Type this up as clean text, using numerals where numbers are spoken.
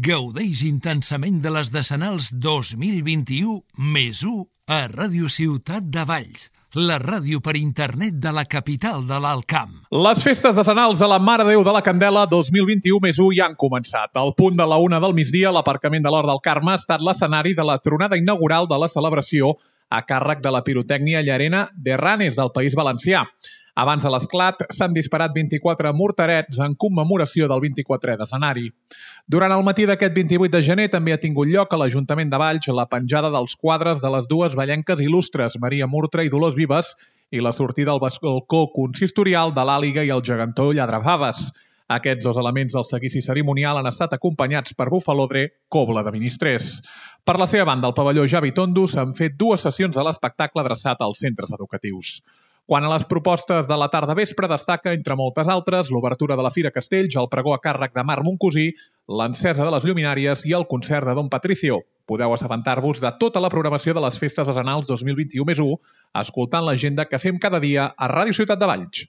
Gaudeix intensament de les Decenals 2021 més 1 a Ràdio Ciutat de Valls, la ràdio per internet de la capital de l'Alt Camp. Les festes decenals a la Mare de Déu de la Candela 2021 més 1 ja han començat. Al punt de la 1 del migdia, l'aparcament de l'Hort del Carme ha estat l'escenari de la tronada inaugural de la celebració a càrrec de la pirotècnia llarena de Ranes del País Valencià. Abans de l'esclat, s'han disparat 24 morterets en commemoració del 24è d'escenari. Durant el matí d'aquest 28 de gener també ha tingut lloc a l'Ajuntament de Valls la penjada dels quadres de les dues vallenques il·lustres, Maria Murtra i Dolors Vives, i la sortida al balcó consistorial de l'Àliga i el gegantó Lladrafaves. Aquests dos elements del seguici cerimonial han estat acompanyats per bufalodre, cobla de ministrers. Per la seva banda, al pavelló Javi Tondo s'han fet dues sessions de l'espectacle adreçat als centres educatius. Quant a les propostes de la tarda vespre, destaca, entre moltes altres, l'obertura de la Fira Castells, el pregó a càrrec de Marc Moncosí, l'encesa de les lluminàries i el concert de Don Patricio. Podeu assabentar-vos de tota la programació de les festes decenals 2021 més 1, escoltant l'agenda que fem cada dia a Ràdio Ciutat de Valls.